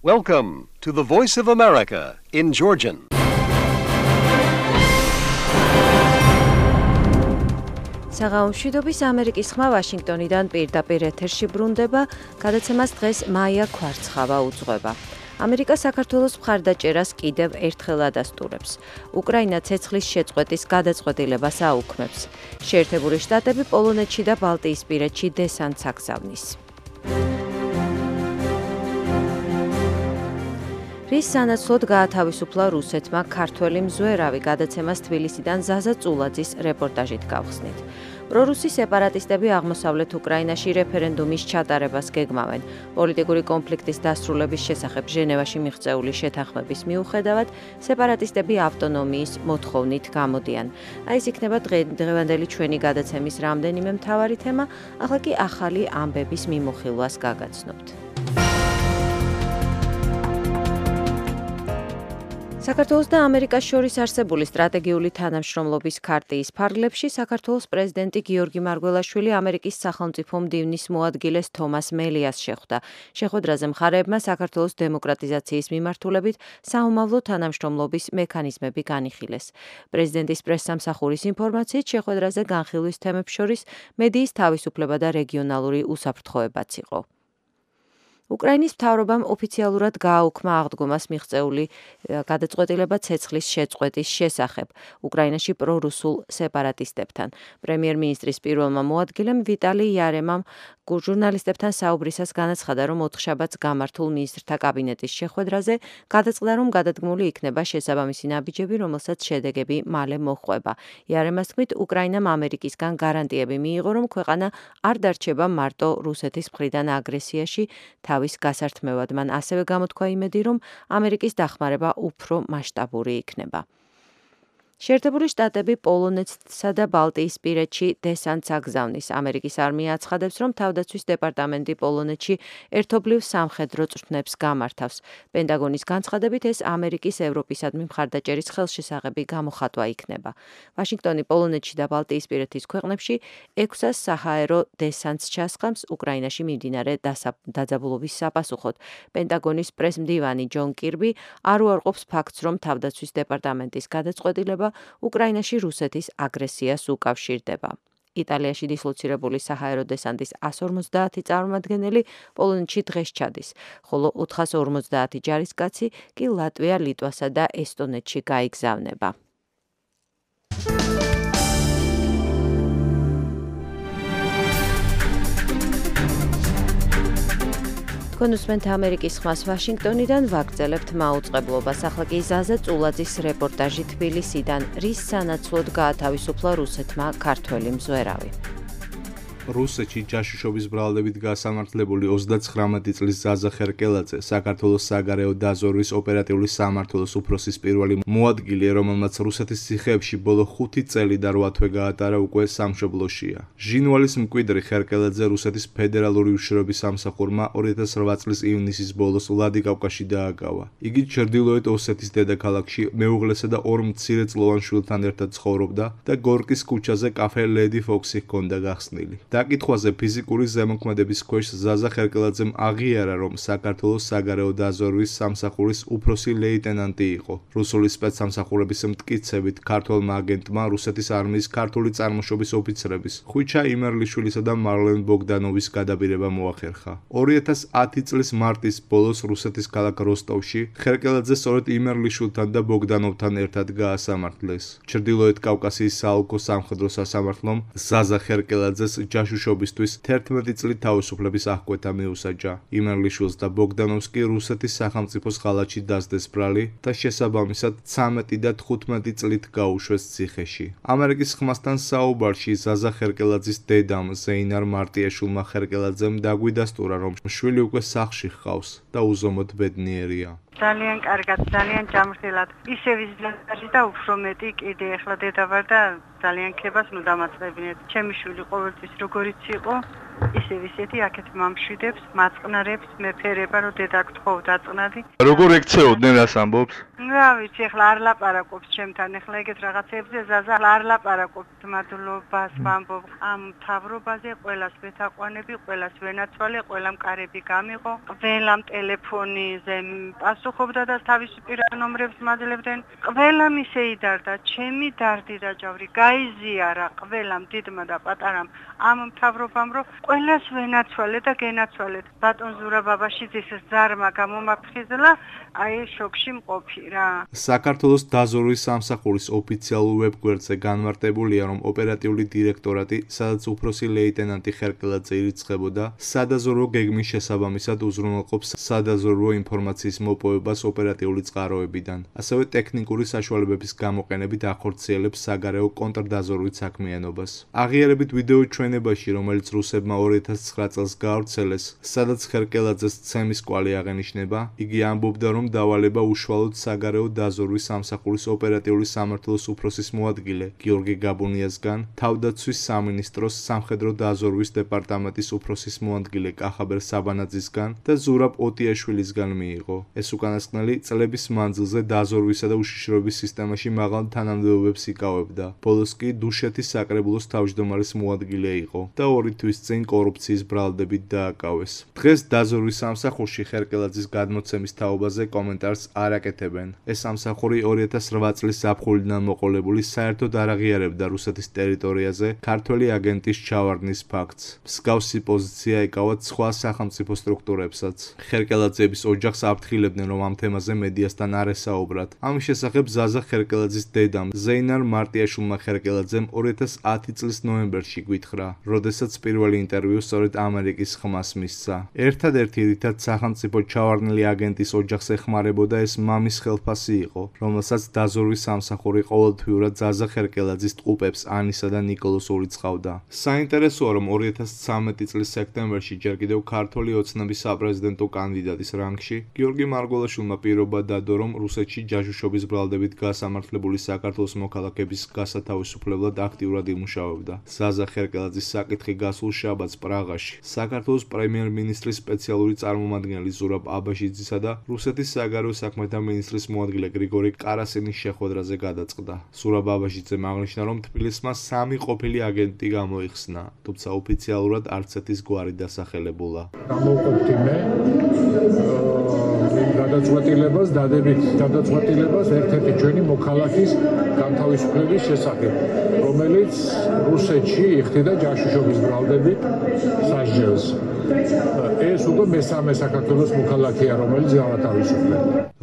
Welcome to the Voice of America in Georgian. საღამომშვიდობის ამერიკის ხმა ვაშინგტონიდან პირდაპირ ეთერში ბრუნდება, გადაცემას დღეს მაია ქვარცხავა უძღვება. ამერიკა საქართველოს მხარდაჭერას კიდევ ერთხელ ადასტურებს. უკრაინა ცეცხლის შეწყვეტის გადაწყვეტილებას აუქმებს. შეერთებული შტატები პოლონეთში და ბალტიისპირეთში დესანტს აგზავნის. რის სანაცვლოდ გაათავისუფლა რუსეთმა ქართველი მზვერავი, გადაცემას თბილისიდან ზაზა წულაძის რეპორტაჟით გავხსნით. პრორუსი სეპარატისტები აღმოსავლეთ უკრაინაში რეფერენდუმის ჩატარებას გეგმავენ. პოლიტიკური კონფლიქტის დასრულების შესახებ ჟენევაში მიღწეული შეთანხმების მიუხედავად, სეპარატისტები ავტონომიის მოთხოვნით გამოდიან. ეს იქნება დღევანდელი ჩვენი გადაცემის რამდენიმე მთავარი თემა, ახლა კი ახალი ამბების მიმოხილვას გაგაცნობთ. საქართველოს და ამერიკას შორის არსებული სტრატეგიული თანამშრომლობის ქარტიის ფარგლებში საქართველოს პრეზიდენტი გიორგი მარგველაშვილი ამერიკის სახელმწიფო მდივნის მოადგილეს თომას მელიას შეხვდა. შეხვედრაზე მხარეებმა საქართველოს დემოკრატიზაციის მიმართულებით საომავლო თანამშრომლობის მექანიზმები განიხილეს. პრეზიდენტის პრესსამსახურის ინფორმაციით, შეხვედრაზე განხილვის თემებს შორის მედიის თავისუფლება და რეგიონალური უსაფრთხოებაც იყო. უკრაინის მთავრობამ ოფიციალურად გააუქმა აღდგომას მიღწეული გადაწყვეტილება ცეცხლის შეწყვეტის შესახებ უკრაინაში პრორუსულ სეპარატისტებთან. პრემიერ-მინისტრის პირველმა მოადგილემ ვიტალი იარემამ ჟურნალისტებთან საუბრისას განაცხადა, რომ ოთხშაბათს გამართულ მინისტრთა კაბინეტის შეხვედრაზე გადაწყდა, რომ გადადგმული იქნება შესაბამისი ნაბიჯები, რომელსაც შედეგები მალე მოჰყვება. იარემას თქმით, უკრაინამ ამერიკისგან გარანტიები მიიღო, რომ ქვეყანა არ დარჩება მარტო რუსეთის მხრიდან აგრესიაში თავის გასართმევად. მან ასევე გამოთქვა იმედი, რომ ამერიკის დახმარება უფრო მასშტაბური იქნება. შეერთებული შტატები პოლონეთსა და ბალტიისპირეთში დესანტს აგზავნის. ამერიკის არმია აცხადებს, რომ თავდაცვის დეპარტამენტი პოლონეთში ერთობლივ სამხედრო წვრთნებს გამართავს. პენტაგონის განცხადებით, ეს ამერიკის ევროპისადმი მხარდაჭერის ხელშესაღები გამოხატვა იქნება. ვაშინგტონი პოლონეთში და ბალტიისპირეთის ქვეყნებში 600 საჰაერო დესანტს ჩასხამს უკრაინაში მიმდინარე დაძაბულობის საპასუხოდ. პენტაგონის პრესმდივანი ჯონ კირბი არ უარყოფს ფაქტს, რომ თავდაცვის დეპარტამენტის გადაწყვეტილება უკრაინაში რუსეთის აგრესიას უკავშირდება. იტალიაში დისლოცირებული საჰაერო დესანტის 150 წარმომადგენელი პოლონეთში დღეს ჩადის, ხოლო 450 ჯარისკაცი კი ლატვია, ლიტვასა და ესტონეთში გაიგზავნება. თქვენ უსმენთ ამერიკის ხმას ვაშინგტონიდან, ვაგრძელებთ მაუწყებლობას. ახლა კი ზაზა წულაძის რეპორტაჟი თბილისიდან, რის სანაცვლოდ გაათავისუფლა რუსეთმა ქართველი მზვერავი. რუსეთში ჯაშუშობის ბრალდებით გასამართლებული 39 წლის ზაზა ხერკელაძე საქართველოს საგარეო დაზვერვის ოპერატიული სამმართველოს უფროსის პირველი მოადგილე, რომელმაც რუსეთის ციხეებში ბოლო 5 წელი და 8 თვე გაატარა, უკვე სამშობლოშია. ჟინვალის მკვიდრი ხერკელაძე რუსეთის ფედერალური უშიშროების სამსახურმა 2008 წლის ივნისის ბოლოს ვლადიკავკაზში დააგავა. იგი ჩრდილოეთ ოსეთის დედაქალაქში მეუღლესა და 2 მცირეწლოვან შვილთან ერთად ცხოვრობდა და გორკის ქუჩაზე კაფე ლედი ფოქსი ჰქონდა გახსნილი. დაკითხვაზე ფიზიკური ზემოქმედების ქვეშ ზაზა ხერკელაძემ აღიარა, რომ საქართველოს საგარეო დაზვერვის სამსახურის უფროსი ლეიტენანტი იყო. რუსული სპეცსამსახურების მტკიცებით, ქართველმა აგენტმა რუსეთის არმიის ქართული წარმოშობის ოფიცრების ხვიჩა იმერლიშვილისა და მარლენ ბოგდანოვის გადაბირება მოახერხა. 2010 წლის მარტის ბოლოს რუსეთის ქალაქ როსტოვში ხერკელაძე სწორედ იმერლიშვილთან და ბოგდანოვთან ერთად გაასამართლეს. ჩრდილოეთ კავკასიის საოლქო სამხედრო სასამართლომ ზაზა ხერკელაძეს ჯაშუშობისთვის 11 წლით თავისუფლების აღკვეთა მიუსაჯა. იმერლიშვილს და ბოგდანოვს კი რუსეთის სახელმწიფოს ხალათში დასდეს ბრალი და შესაბამისად 13 და 15 წლით გაუშვეს ციხეში. ამერიკის ხმასთან საუბარში ზაზა ხერკელაძის დედამ ზეინარ მარტიაშვილმა ხერკელაძემ დაგვიდასტურა, რომ შვილი უკვე სახლში ჰყავს და უზომოდ ბედნიერია. ძალიან კარგად, ძალიან ჯამრთელად. ისე ვიზიტაში და უფრო მეტი კიდე ახლა დედა ვარ და ძალიან ქებას ნუ დამაწყებინეთ. ჩემი შვილი ყოველთვის როგორიც იყო, ისე ვისეთი აქეთ მამშვიდებს, მაწყნარებს, მეფერება, რომ დედა გთხოვ დაწყნადი. როგორ ექცეოდნენ რას ამბობს? რა ვიცი, ეხლა არ ლაპარაკობს ჩემთან, ეხლა ეგეთ რაღაცებზე ზაზა არ ლაპარაკობს მადლობას ვამბობ. ამ მთავრობაზე ყველას ვეთაყვანები, ყველას ვენაცვალე, ყველამ კარები გამიღო, ყველამ ტელეფონიზე პასუხობდა და თავისი პირადი ნომრებს მაძლევდნენ. ყველამ ისე იდარდა, ჩემი დარდიდა ჯავრი, გაიზიარა ყველამ დიდმა და პატარამ ამ მთავრობამ, რომ ყველას ვენაცვალე და გენაცვალეთ. ბატონ ზურაბ ბაბაშიძის ზარმა გამომაფხიზლა, აი შოკში მყოფი რა. საქართველოს დაზვერვის სამსახურის ოფიციალურ ვებგვერდზე განმარტებულია, რომ ოპერატიული დირექტორატი, სადაც უფროსი ლეიტენანტი ხერკელაძე ირიცხებოდა, სადაზვერვო გეგმის შესაბამისად უზრუნველყოფს სადაზვერვო ინფორმაციის მოპოვებას ოპერატიული წყაროებიდან. ასევე ტექნიკური საშუალებების გამოყენებით ახორციელებს საგარეო კონტრდაზვერვით საქმიანობას. აღიარებით ვიდეო ჩვენებაში, რომელიც რუსებმა 2009 წელს გაავრცელეს, სადაც ხერკელაძეს ცემის კვალი აღენიშნება, იგი ამბობდა, რომ დავალება უშუალოდ საგარეო დაზვერვის სამსახურის ოპერატიული სამმართველოს უფროსის მოადგილე გიორგი გაბუნიასგან, თავდაცვის სამინისტროს სამხედრო დაზვერვის დეპარტამენტის უფროსის მოადგილე კახაბერ საბანაძისგან და ზურაბ ოტიაშვილისგან მიიღო. ეს უკანასკნელი წლების მანძილზე დაზვერვისა და უშიშროების სისტემაში მაღალ თანამდებობებს იკავებდა. ბოლოს კი დუშეთის საკრებულოს თავმჯდომარის მოადგილე იყო და 2 თვის წინ კორუფციის ბრალდებით დააკავეს. დღეს დაზვერვის სამსახურში ხერკელაძის გადმოცემის თაობაზე კომენტარს არ აკეთებენ. ეს სამსახური 2008 წლის ზაფხულიდან მოყოლებული საერთოდ არ აღიარებდა რუსეთის ტერიტორიაზე ქართველი აგენტის ჩავარდნის ფაქტს. მსგავსი პოზიცია ეკავათ სხვა სახელმწიფო სტრუქტურებსაც. ხერკელაძეების ოჯახს აფრთხილებდნენ, რომ ამ თემაზე მედიასთან არ ესაუბრათ. ამის შესახებ ზაზა ხერკელაძის დედამ ზეინარ მარტიაშვილმა ხერკელაძემ 2010 წლის ნოემბერში გვითხრა, როდესაც პირველი ინტერვიუ სწორედ ამერიკის ხმას მისცა. ერთადერთი რითაც სახელმწიფო ჩავარდნილი აგენტის ოჯახს ეხმარებოდა, ეს მამის ხელფასი იყო, რომელსაც დაზვერვის სამსახური ყოველთვიურად ზაზა ხერკელაძის ტყუპებს ანისა და ნიკოლოს ურიცხავდა. საინტერესოა, რომ 2013 წლის სექტემბერში ჯერ კიდევ ქართველი ოცნების საპრეზიდენტო კანდიდატის რანგში გიორგი მარგველაშვილმა პირობა დადო, რომ რუსეთში ჯაშუშობის ბრალდებით გასამართლებული საქართველოს მოქალაქების გასათავისუფლებლად აქტიურად იმუშავებდა. ზაზა ხერკელაძის საკითხი გასულ შაბათს პრაღაში საქართველოს პრემიერ-მინისტრის სპეციალური წარმომადგენელი ზურაბ აბაშიძისა და რუსეთის საგარეო საქმეთა მინისტრის მოადგილე გრიგორი კარასინის შეხვედრაზე გადაწყდა. ზურაბ აბაშიძემ აღნიშნა, რომ თბილისმა 3 ყოფილი აგენტი გამოიხსნა, თუმცა ოფიციალურად არცეთის გვარი დასახელებულა. გამოვყოფდი მე გადაწყვეტილებას, დადებით გადაწყვეტილებას ერთ-ერთი ჩვენი მოქალაქის განთავისუფლების შესახებ, რომელიც რუსეთში იხდიდა ჯაშუშობის ბრალდებით სასჯელს. ეს უკვე მესამე საქართველოს მოქალაქეა, რომელიც გავათავისუფლდა.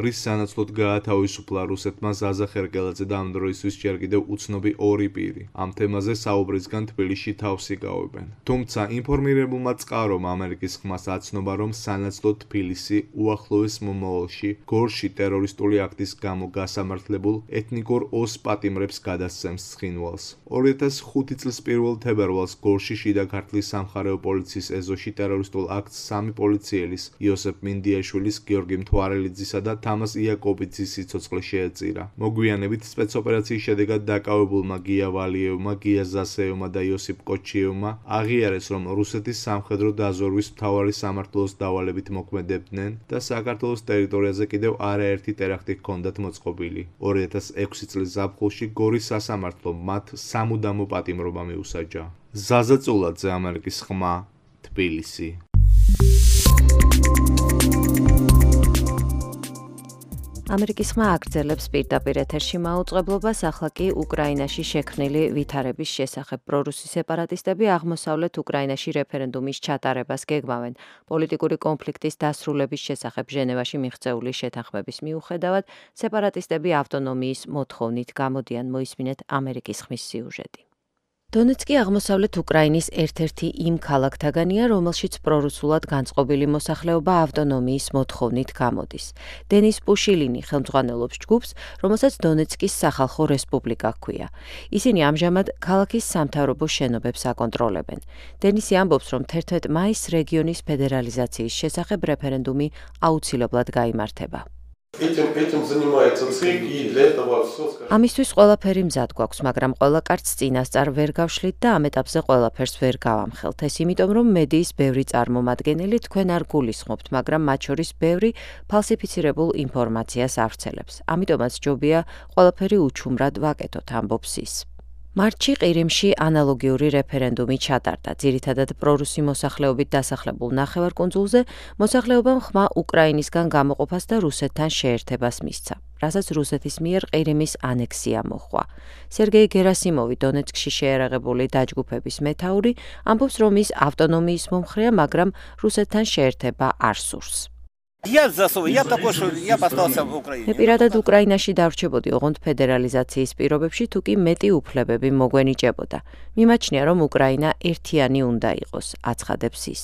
რის სანაცვლოდ გაათავისუფლა რუსეთმა ზაზა ხერკელაძე და ამ დროისთვის ჯერ კიდევ უცნობი 2 პირი. ამ თემაზე საუბრისგან თბილისში თავს იკავებენ. თუმცა ინფორმირებულმა წყარომ ამერიკის ხმას აცნობა, რომ სანაცვლოდ თბილისი უახლოეს მომავალში გორში ტერორისტული აქტის გამო გასამართლებულ ეთნიკურ ოს პატიმრებს გადასცემს ცხინვალს. 2005 წლის 1 თებერვალს გორში შიდა ქართლის სამხარეო პოლიციის ეზოში ტერორისტულ აქტს 3 პოლიციელის იოსებ მინდიაშვილის, გიორგი მთვარელიძისა და თამას იაკობიძის სიცოცხლე შეეწირა. მოგვიანებით სპეცოპერაციის შედეგად დაკავებულმა გია ვალიევმა, გია ზასეევმა და იოსიპ კოჩიევმა აღიარეს, რომ რუსეთის სამხედრო დაზვერვის მთავარი სამმართველოს დავალებით მოქმედებდნენ და საქართველოს ტერიტორიაზე კიდევ არაერთი ტერაქტი ჰქონდათ მოწყობილი. 2006 წლის ზაფხულში გორის სასამართლომ მათ სამუდამო პატიმრობა მიუსაჯა. ზაზა წულაძე, ამერიკის ხმა, თბილისი. ამერიკის ხმა აგრძელებს პირდაპირ ეთერში მაუწყებლობას, ახლა კი უკრაინაში შექმნილი ვითარების შესახებ. პრორუსი სეპარატისტები აღმოსავლეთ უკრაინაში რეფერენდუმის ჩატარებას გეგმავენ. პოლიტიკური კონფლიქტის დასრულების შესახებ ჟენევაში მიღწეული შეთანხმების მიუხედავად, სეპარატისტები ავტონომიის მოთხოვნით გამოდიან. მოისმინეთ ამერიკის ხმის სიუჟეტი. დონეცკი აღმოსავლეთ უკრაინის ერთ-ერთი იმ ქალაქთაგანია, რომელშიც პრორუსულად განწყობილი მოსახლეობა ავტონომიის მოთხოვნით გამოდის. დენის პუშილინი ხელმძღვანელობს ჯგუფს, რომელსაც დონეცკის სახალხო რესპუბლიკა ჰქვია. ისინი ამჟამად ქალაქის სამთავრობო შენობებს აკონტროლებენ. დენისი ამბობს, რომ 11 მაისს რეგიონის ფედერალიზაციის შესახებ რეფერენდუმი აუცილებლად გაიმართება. Этим занимается ЦИК, и для этого все, скажем. ამისთვის ყველაფერი მზად გვაქვს, მაგრამ ყველა კარტს წინასწარ ვერ გავშლით და ამ ეტაპზე ყველაფერს ვერ გავამხელთ. ეს იმიტომ, რომ მედიის ბევრი წარმომადგენელი თქვენ არ გულისხმობთ, მაგრამ მათ შორის ბევრი ფალსიფიცირებულ ინფორმაციას ავრცელებს. ამიტომაც ჯობია ყველაფერი უჩუმრად ვაკეთოთ, ამბობს ის. მარტში ყირიმში ანალოგიური რეფერენდუმი ჩატარდა. ძირითადად პრორუსი მოსახლეობით დასახლებულ ნახევარკუნძულზე მოსახლეობამ ხმა უკრაინისგან გამოყოფას და რუსეთთან შეერთებას მისცა, რასაც რუსეთის მიერ ყირიმის ანექსია მოჰყვა. სერგეი გერასიმოვი, დონეცკში შეერაღებული დაჯგუფების მეთაური, ამბობს, რომ ის ავტონომიის მომხრეა, მაგრამ რუსეთთან შეერთება არ სურს. მე პირადად უკრაინაში დავრჩებოდი, ოღონდ ფედერალიზაციის პირობებში თუ კი მეტი უფლებები მოგვენიჭებოდა. მიმაჩნია, რომ უკრაინა ერთიანი უნდა იყოს, აცხადებს ის.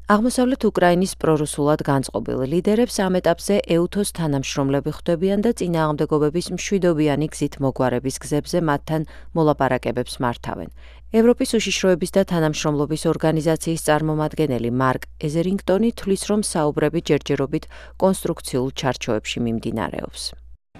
აღმოსავლეთ უკრაინის პრორუსულად განწყობილ ლიდერებს ამ ეტაპზე ეუთოს თანამშრომლები ხვდებიან და წინააღმდეგობების მშვიდობიანი გზით მოგვარების გზებზე მათთან მოლაპარაკებებს მართავენ. ევროპის უშიშროების და თანამშრომლობის ორგანიზაციის წარმომადგენელი მარკ ეზერინგტონი თვლის, რომ საუბრები ჯერჯერობით კონსტრუქციულ ჩარჩოებში მიმდინარეობს.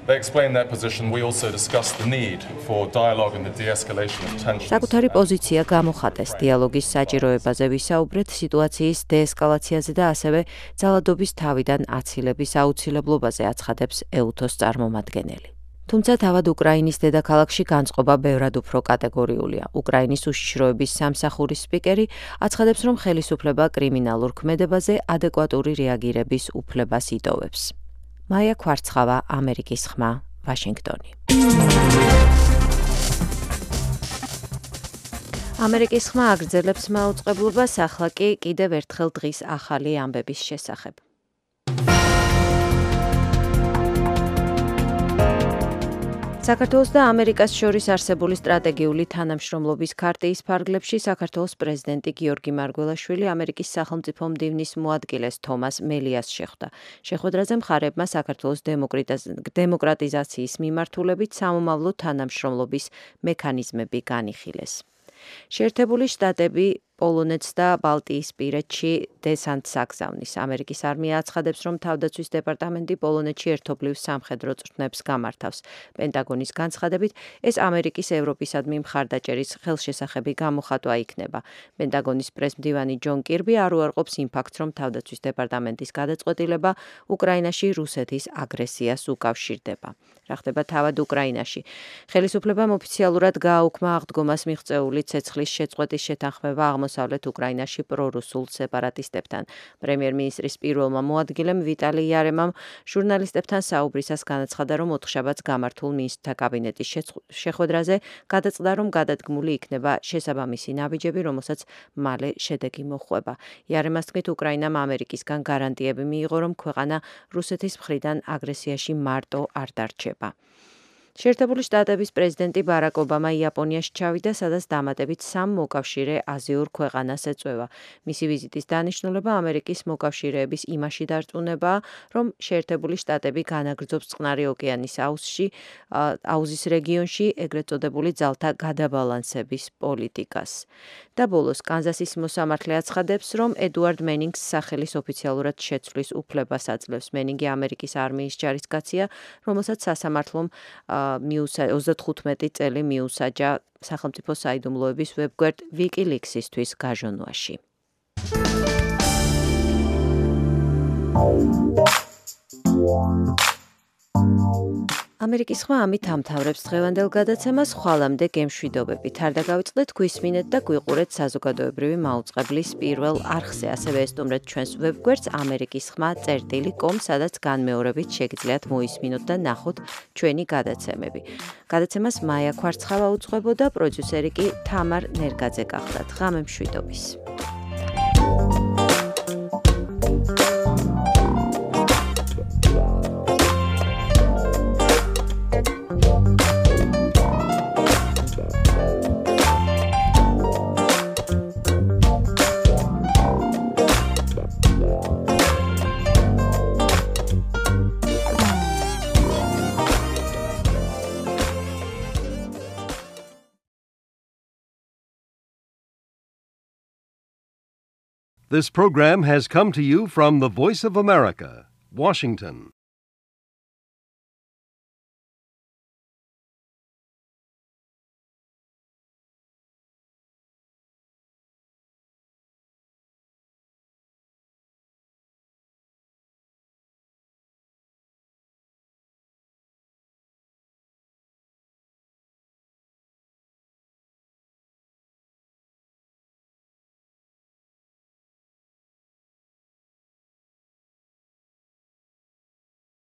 They explained their position. We also discussed the need for dialogue and the de-escalation of tensions. საკუთარი პოზიცია გამოხატეს დიალოგის საჭიროებაზე ვისაუბრეთ, სიტუაციის დეესკალაციაზე და ასევე ძალადობის თავიდან აცილების აუცილებლობაზე, აცხადებს ეუთოს წარმომადგენელი. თუმცა თავად უკრაინის დედაქალაქში განწყობა ბევრად უფრო კატეგორიულია. უკრაინის უშიშროების სამსახურის სპიკერი აცხადებს, რომ ხელისუფლება კრიმინალურ ქმედებაზე ადეკვატური რეაგირების უფლებას იტოვებს. მაია ქვარცხავა, ამერიკის ხმა, ვაშინგტონი. ამერიკის ხმა აგრძელებს მაუწყებლობას, ახლა კი კიდევ ერთხელ დღის ახალი ამბების შესახებ. საქართველოს და ამერიკას შორის არსებული სტრატეგიული თანამშრომლობის ქარტიის ფარგლებში საქართველოს პრეზიდენტი გიორგი მარგველაშვილი ამერიკის სახელმწიფო მდივნის მოადგილეს თომას მელიას შეხვდა. შეხვედრაზე მხარებმა საქართველოს დემოკრატიზაციის მიმართულებით სამომავლო თანამშრომლობის მექანიზმები განიხილეს. შეერთებული შტატები პოლონეთს და ბალტიისპირეთში დესანტს აგზავნის. ამერიკის არმია აცხადებს, რომ თავდაცვის დეპარტამენტი პოლონეთში ერთობლივ სამხედრო წვრთნებს გამართავს. პენტაგონის განცხადებით, ეს ამერიკის ევროპისადმი მხარდაჭერის ხელშესახები გამოხატვა იქნება. პენტაგონის პრესმდივანი ჯონ კირბი არ უარყოფს იმ ფაქტს, რომ თავდაცვის დეპარტამენტის გადაწყვეტილება უკრაინაში რუსეთის აგრესიას უკავშირდება. რა ხდება თავად უკრაინაში? ხელისუფლებამ ოფიციალურად გააუქმა აღდგომას მიღწეული ცეცხლის შეწყვეტის შეთანხმება აღმოსავლეთ უკრაინაში პრორუსულ სეპარატისტებთან. პრემიერ-მინისტრის პირველმა მოადგილემ ვიტალი იარემამ ჟურნალისტებთან საუბრისას განაცხადა, რომ ოთხშაბათს გამართულ მინისტრთა კაბინეტის შეხვედრაზე გადაწყდა, რომ გადადგმული იქნება შესაბამისი ნაბიჯები, რომელსაც მალე შედეგი მოჰყვება. იარემას თქმით, უკრაინამ ამერიკისგან გარანტიები მიიღო, რომ ქვეყანა რუსეთის მხრიდან აგრესიაში მარტო არ დარჩება. შეერთებული შტატების პრეზიდენტი ბარაკ ობამა იაპონიაში ჩავიდა, სადაც დამატებით 3 მოკავშირე აზიურ ქვეყანას ეწვევა. მისი ვიზიტის დანიშნულება ამერიკის მოკავშირეების იმაში დარწმუნებაა, რომ შეერთებული შტატები განაგრძობს წყნარი ოკეანის აუზის რეგიონში ეგრეთ წოდებული ძალთა გადაბალანსების პოლიტიკას. და ბოლოს კანზასის მოსამართლე აცხადებს, რომ ედუარდ მენინგს სახელის ოფიციალურად შეცვლის უფლებას აძლევს. მენინგი ამერიკის არმიის ჯარისკაცია, რომელსაც სასამართლომ 35 წელი მიუსაჯა სახელმწიფო საიდუმლოების ვებგვერდ ვიკილიქსისთვის გაჟონვაში. ამერიკის ხმა ამით ამთავრებს დღევანდელ გადაცემას. ხვალამდე გემშვიდობებით. არ დაგავიწყდეთ, გვისმინეთ და გვიყურეთ საზოგადოებრივი მაუწყებლის პირველ არხზე. ასევე ესტუმრეთ ჩვენს ვებგვერდს amerikisxma.com, სადაც განმეორებით შეგიძლიათ მოისმინოთ და ნახოთ ჩვენი გადაცემები. გადაცემას მაია ქვარცხავა უძღვებოდა, პროდიუსერი კი თამარ ნერგაძე გახლდათ. ღამე მშვიდობის. This program has come to you from the Voice of America, Washington.